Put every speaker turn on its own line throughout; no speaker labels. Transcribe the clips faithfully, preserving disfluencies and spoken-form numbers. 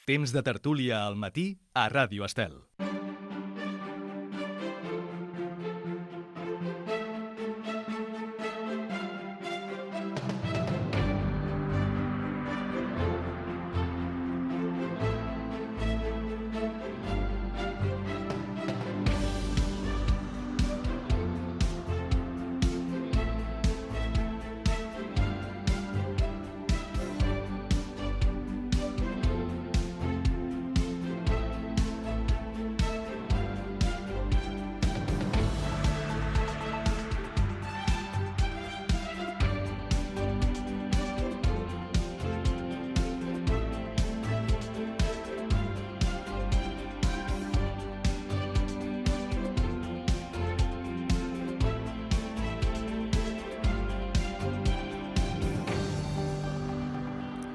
Temps de tertúlia al matí a Ràdio Estel.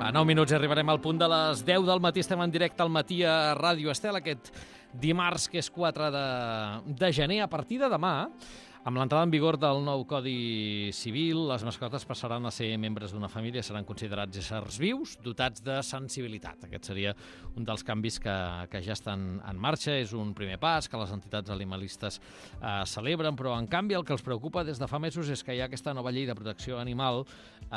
A nou minuts arribarem al punt de les deu del matí. Estem en directe al matí a Ràdio Estel, aquest dimarts, que és quatre de, de gener. A partir de demà, amb l'entrada en vigor del nou Codi Civil, les mascotes passaran a ser membres d'una família, seran considerats éssers vius, dotats de sensibilitat. Aquest seria un dels canvis que, que ja estan en marxa. És un primer pas que les entitats animalistes eh, celebren, però en canvi el que els preocupa des de fa mesos és que hi ha aquesta nova llei de protecció animal eh,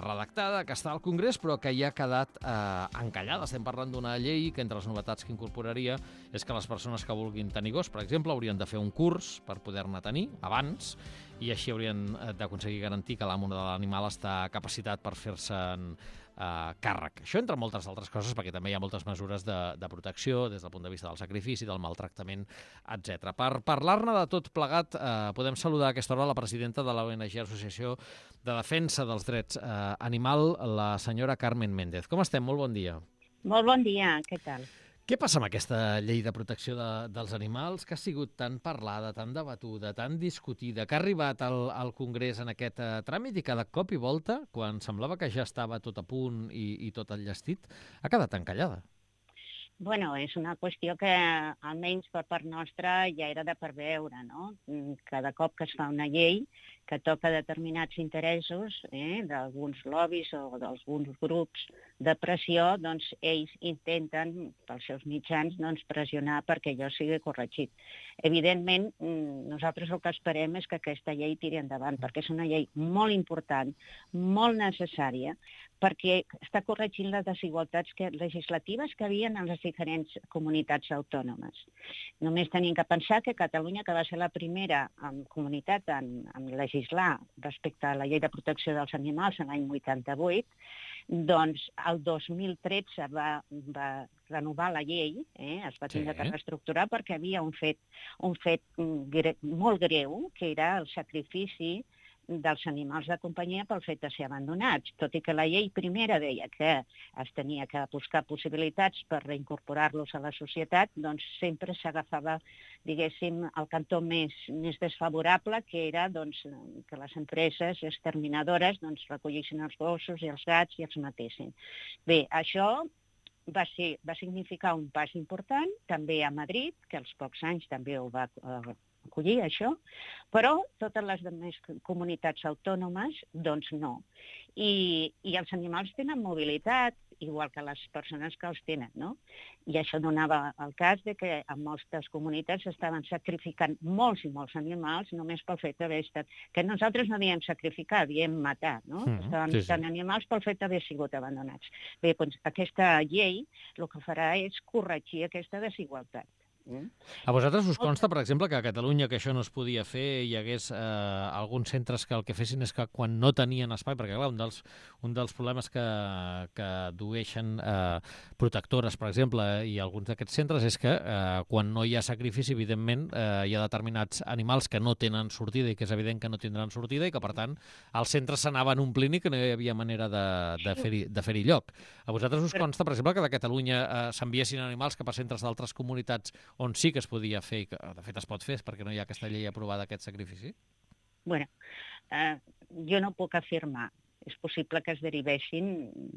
redactada, que està al Congrés, però que ja ha quedat eh, encallada. Estem parlant d'una llei que entre les novetats que incorporaria és que les persones que vulguin tenir gos, per exemple, haurien de fer un curs per poder-ne tenir abans, i així haurien d'aconseguir garantir que l'amo de l'animal està capacitat per fer-se'n eh, càrrec. Això entre moltes altres coses, perquè també hi ha moltes mesures de, de protecció des del punt de vista del sacrifici, del maltractament, etcètera. Per parlar-ne de tot plegat, eh, podem saludar a aquesta hora la presidenta de l'O N G Associació de Defensa dels Drets eh, Animal, la senyora Carmen Méndez. Com estem? Molt bon dia.
Molt bon dia, què tal?
Què passa amb aquesta llei de protecció de, dels animals que ha sigut tan parlada, tan debatuda, tan discutida, que ha arribat al, al Congrés en aquest uh, tràmit i cada cop i volta, quan semblava que ja estava tot a punt i, i tot enllestit, ha quedat encallada?
Bueno, és una qüestió que, almenys per part nostra, ja era de preveure, no? Cada cop que es fa una llei que toca determinats interessos eh, d'alguns lobbies o d'alguns grups de pressió, doncs ells intenten, pels seus mitjans, doncs, pressionar perquè allò sigui corregit. Evidentment, nosaltres el que esperem és que aquesta llei tiri endavant, perquè és una llei molt important, molt necessària, perquè està corregint les desigualtats que, legislatives que hi havia en les diferents comunitats autònomes. Només tenim que pensar que Catalunya, que va ser la primera en comunitat en, en legislar respecte a la llei de protecció dels animals en l'any vuitanta-vuit, doncs el dos mil tretze va, va renovar la llei, eh? Es va tindre sí. que reestructurar perquè havia un fet, un fet gre, molt greu, que era el sacrifici dels animals de companyia pel fet de ser abandonats, tot i que la llei primera deia que es tenia que buscar possibilitats per reincorporar-los a la societat, doncs sempre s'agafava, diguéssim, el cantó més, més desfavorable, que era doncs, que les empreses exterminadores doncs, recollissin els gossos i els gats i els matessin. Bé, això va, ser, va significar un pas important, també a Madrid, que als pocs anys també ho va eh, acollir, això, però totes les altres comunitats autònomes, doncs no. I, i els animals tenen mobilitat, igual que les persones que els tenen, no? I això donava el cas de que en moltes comunitats estaven sacrificant molts i molts animals només pel fet d'haver estat... Que nosaltres no diem sacrificar, diem matar, no? Mm, Estaven sí, matant sí. animals pel fet d'haver sigut abandonats. Bé, doncs aquesta llei el que farà és corregir aquesta desigualtat.
Mm. A vosaltres us consta, per exemple, que a Catalunya que això no es podia fer, hi hagués eh, alguns centres que el que fessin és que quan no tenien espai, perquè clar, un dels, un dels problemes que, que dueixen eh, protectores, per exemple, i alguns d'aquests centres és que eh, quan no hi ha sacrifici, evidentment, eh, hi ha determinats animals que no tenen sortida i que és evident que no tindran sortida i que, per tant, els centres s'anaven omplint i que no hi havia manera de, de fer-hi de fer-hi lloc. A vosaltres us consta, per exemple, que de Catalunya eh, s'enviessin animals cap a centres d'altres comunitats on sí que es podia fer, que de fet es pot fer, perquè no hi ha aquesta llei aprovada, aquest sacrifici?
Bueno, eh, jo no puc afirmar. és possible que es derivessin,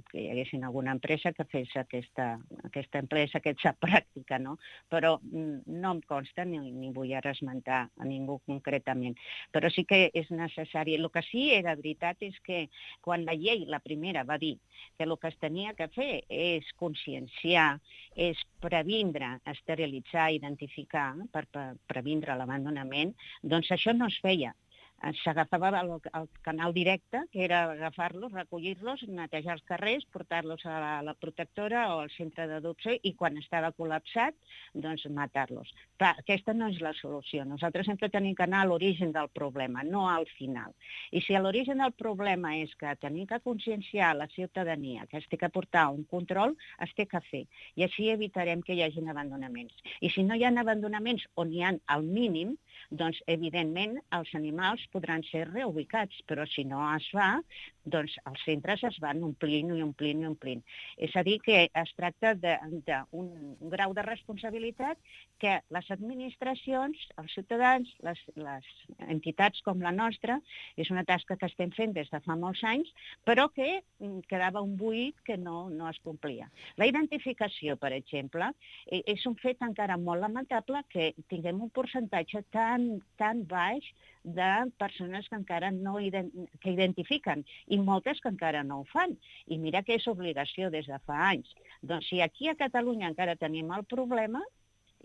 que hi haguessin alguna empresa que fes aquesta, aquesta empresa, aquesta pràctica, no? Però no em consta ni, ni vull ara esmentar a ningú concretament. Però sí que és necessari. El que sí era veritat és que quan la llei, la primera, va dir que el que es tenia que fer és conscienciar, és previndre, esterilitzar, identificar, per, per previndre l'abandonament, doncs això no es feia. S'agafava el, el canal directe, que era agafar-los, recollir-los, netejar els carrers, portar-los a la, la protectora o al centre d'adopció i quan estava col·lapsat, doncs matar-los. Clar, aquesta no és la solució. Nosaltres sempre tenim que anar a l'origen del problema, no al final. I si l'origen del problema és que tenim que conscienciar la ciutadania, que es té que portar un control, es té que fer. I així evitarem que hi hagi abandonaments. I si no hi ha abandonaments on hi ha al mínim, doncs, evidentment, els animals podran ser reubicats, però si no es fa, doncs els centres es van omplint i omplint i omplint. És a dir, que es tracta d'un grau de responsabilitat que les administracions, els ciutadans, les, les entitats com la nostra, és una tasca que estem fent des de fa molts anys, però que quedava un buit que no, no es complia. La identificació, per exemple, és un fet encara molt lamentable que tinguem un percentatge tan, tan baix de persones que encara no que identifiquen i moltes que encara no ho fan. I mira que és obligació des de fa anys. Doncs si aquí a Catalunya encara tenim el problema,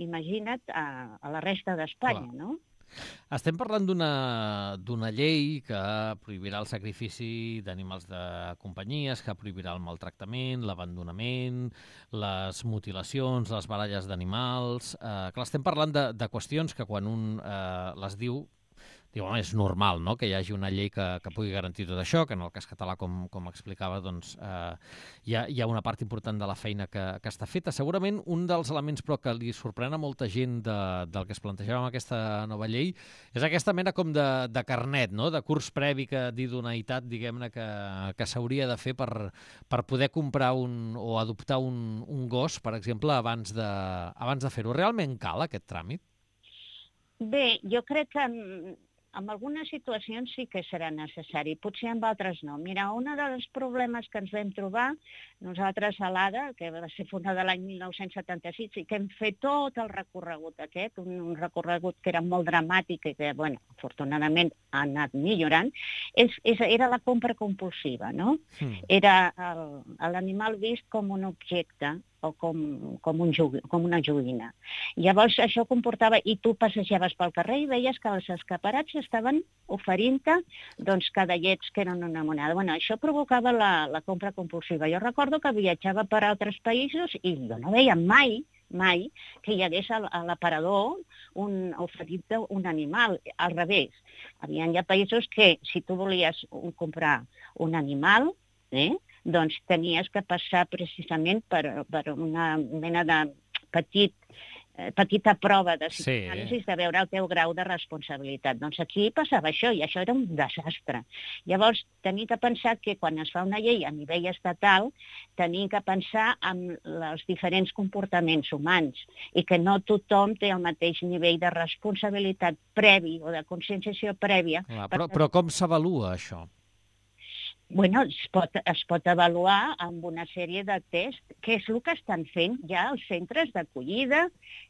imagina't a, a la resta d'Espanya, no?
Estem parlant d'una llei que prohibirà el sacrifici d'animals de companyies, que prohibirà el maltractament, l'abandonament, les mutilacions, les baralles d'animals. Eh, clar, estem parlant de, de qüestions que quan un eh, les diu, diu, home, és normal, no?, que hi hagi una llei que, que pugui garantir tot això, que en el cas català, com, com explicava, doncs, eh, hi, ha, hi ha una part important de la feina que, que està feta. Segurament un dels elements però que li sorprèn a molta gent de, del que es plantejava amb aquesta nova llei és aquesta mena com de, de carnet, no?, de curs previ que d'idoneïtat, diguem-ne, que, que s'hauria de fer per, per poder comprar un, o adoptar un, un gos, per exemple, abans de, abans de fer-ho. Realment cal aquest tràmit?
Bé, jo crec que en algunes situacions sí que serà necessari, potser en altres no. Mira, un dels problemes que ens vam trobar, nosaltres a l'A D A, que va ser fundada l'any mil nou-cents setanta-sis, i que hem fet tot el recorregut aquest, un, un recorregut que era molt dramàtic i que, bueno, afortunadament ha anat millorant, és, és, era la compra compulsiva, no? Mm. Era l'animal vist com un objecte, o com, com, un jogu, com una joguina. Llavors això comportava, i tu passejaves pel carrer i veies que els escaparats estaven oferint-te doncs, cadallets que eren una moneda. Bueno, això provocava la, la compra compulsiva. Jo recordo que viatjava per altres països i jo no veia mai, mai, que hi hagués a l'aparador un oferit un animal. Al revés, hi havia països que si tu volies comprar un animal, eh, doncs tenies que passar precisament per, per una mena de petit, eh, petita prova de psicoanàlisi, sí, de veure el teu grau de responsabilitat. Doncs aquí passava això, i això era un desastre. Llavors, tenim que pensar que quan es fa una llei a nivell estatal, tenim que pensar en els diferents comportaments humans i que no tothom té el mateix nivell de responsabilitat previ o de conscienciació prèvia.
Clar, però, però com s'avalua això?
Bueno, es pot, es pot avaluar amb una sèrie de tests, que és el que estan fent ja els centres d'acollida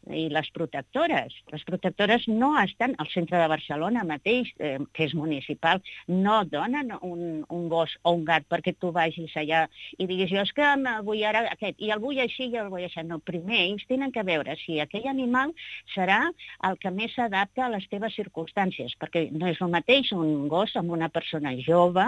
i les protectores. Les protectores no estan al centre de Barcelona mateix, eh, que és municipal, no donen un, un gos o un gat perquè tu vagis allà i diguis, jo és que vull ara aquest, i el vull així i el vull així. No, primer ells tenen que veure si aquell animal serà el que més s'adapta a les teves circumstàncies, perquè no és el mateix un gos amb una persona jove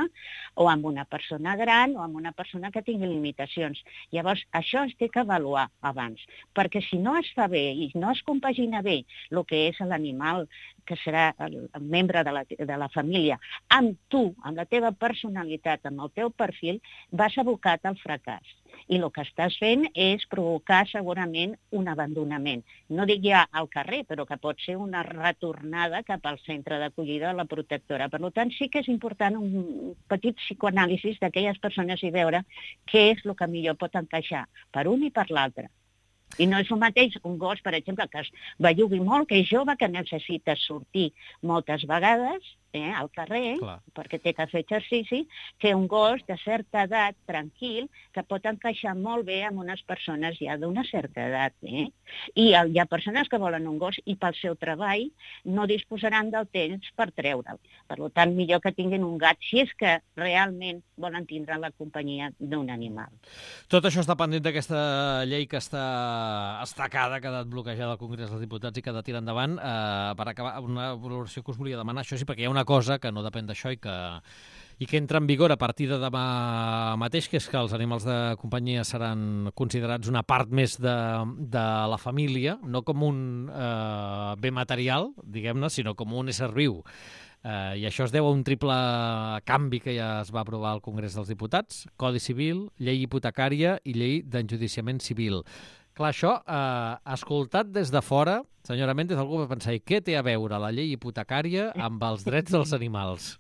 o amb una persona gran o amb una persona que tingui limitacions. Llavors, això es té que avaluar abans, perquè si no es fa bé i no es compagina bé el que és l'animal, que serà el membre de la, de la família, amb tu, amb la teva personalitat, amb el teu perfil, vas abocat al fracàs. I el que estàs fent és provocar segurament un abandonament. No dic ja al carrer, però que pot ser una retornada cap al centre d'acollida de la protectora. Per tant, sí que és important un petit psicoanàlisi d'aquelles persones i veure què és el que millor pot encaixar per un i per l'altre. I no és el mateix un gos, per exemple, que es bellugui molt, que és jove, que necessita sortir moltes vegades, eh, al carrer,
Clar.
perquè té que fer exercici, que un gos de certa edat, tranquil, que pot encaixar molt bé amb unes persones ja d'una certa edat. Eh? I hi ha persones que volen un gos i pel seu treball no disposaran del temps per treure'l. Per tant, millor que tinguin un gat, si és que realment volen tindre la companyia d'un animal.
Tot això està pendent d'aquesta llei que està estacada, que ha quedat bloquejada al Congrés dels Diputats i que ha de tirar endavant. Eh, per acabar, una valoració que us volia demanar, això sí, perquè hi ha una cosa que no depèn d'això i que, i que entra en vigor a partir de demà mateix, que és que els animals de companyia seran considerats una part més de, de la família, no com un eh, bé material, diguem-ne, sinó com un ésser viu. Eh, I això es deu a un triple canvi que ja es va aprovar al Congrés dels Diputats: Codi Civil, llei hipotecària i llei d'enjudiciament civil. Clar, això, eh, escoltat des de fora, senyora Méndez, algú va pensar, i què té a veure la llei hipotecària amb els drets dels animals?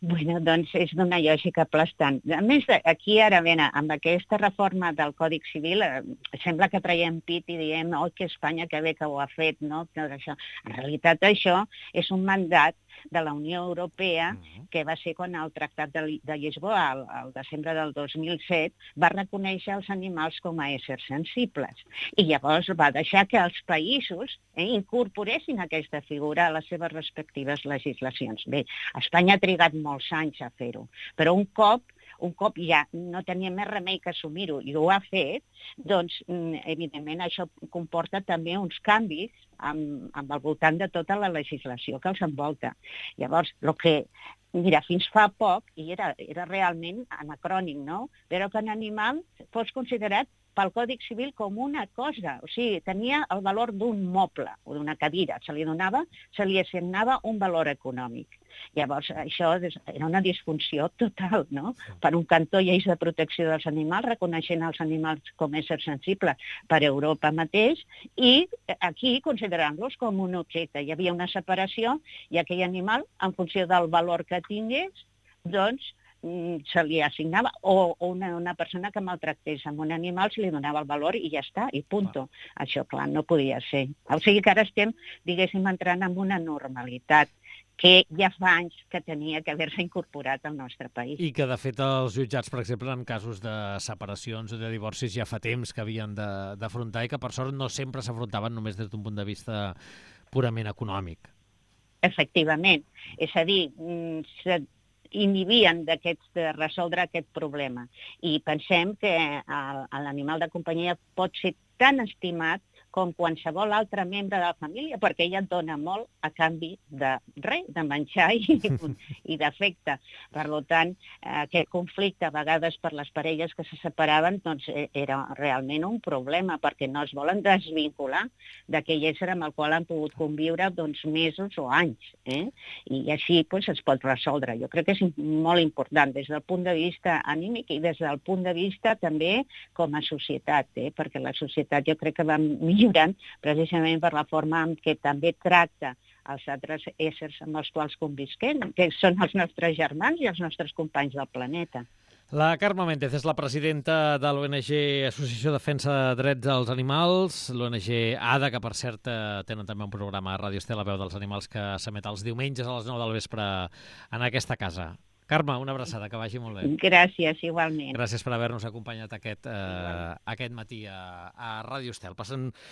Bueno, doncs és d'una lògica aplastant. A més, aquí ara, ben, amb aquesta reforma del Codi Civil, eh, sembla que traiem pit i diem, oi, que Espanya, que bé que ho ha fet, no? Tot això. En realitat, això és un mandat de la Unió Europea, que va ser quan el Tractat de, de Lisboa, al, al desembre del dos mil set, va reconèixer els animals com a éssers sensibles. I llavors va deixar que els països eh, incorporessin aquesta figura a les seves respectives legislacions. Bé, Espanya ha trigat molts anys a fer-ho, però un cop un cop ja no tenia més remei que assumir-ho i ho ha fet, doncs, evidentment, això comporta també uns canvis amb, amb al voltant de tota la legislació que els envolta. Llavors, el que, mira, fins fa poc, i era, era realment anacrònic, no?, però que un animal fos considerat pel Codi Civil com una cosa, o sigui, tenia el valor d'un moble o d'una cadira, se li donava, se li assignava un valor econòmic. Llavors, això era una disfunció total, no? Per un cantó, lleis de protecció dels animals, reconeixent els animals com a éssers sensibles per Europa mateix, i aquí considerant-los com un objecte. Hi havia una separació i aquell animal, en funció del valor que tingués, doncs, se li assignava, o una, una persona que maltractés amb un animal se li donava el valor i ja està, i punto. Ah. Això, clar, no podia ser. O sigui que ara estem, diguéssim, entrant en una normalitat que ja fa anys que tenia que haver-se incorporat al nostre país.
I que, de fet, els jutjats, per exemple, en casos de separacions o de divorcis ja fa temps que havien d'afrontar i que, per sort, no sempre s'afrontaven només des d'un punt de vista purament econòmic.
Efectivament. És a dir, se inhibien d'aquests de resoldre aquest problema. I pensem que l'animal de companyia pot ser tan estimat com qualsevol altre membre de la família, perquè ella et dona molt a canvi de res, de menjar i, i d'afecte. Per tant, aquest conflicte, a vegades per les parelles que se separaven, doncs era realment un problema, perquè no es volen desvincular d'aquell ésser amb el qual han pogut conviure doncs, mesos o anys. Eh? I així doncs, es pot resoldre. Jo crec que és molt important des del punt de vista anímic i des del punt de vista també com a societat, eh? Perquè la societat jo crec que va millorant precisament per la forma en què també tracta els altres éssers amb els quals convisquem, que són els nostres germans i els nostres companys del planeta.
La Carme Méndez és la presidenta de l'O N G Associació de Defensa de Drets dels Animals, l'O N G ADA, que per cert tenen també un programa a Ràdio Estel, La Veu dels Animals, que s'emet els diumenges a les nou del vespre en aquesta casa. Carme, una abraçada, que vagi molt bé.
Gràcies, igualment.
Gràcies per haver-nos acompanyat aquest, eh, aquest matí a, a Ràdio Estel. Passen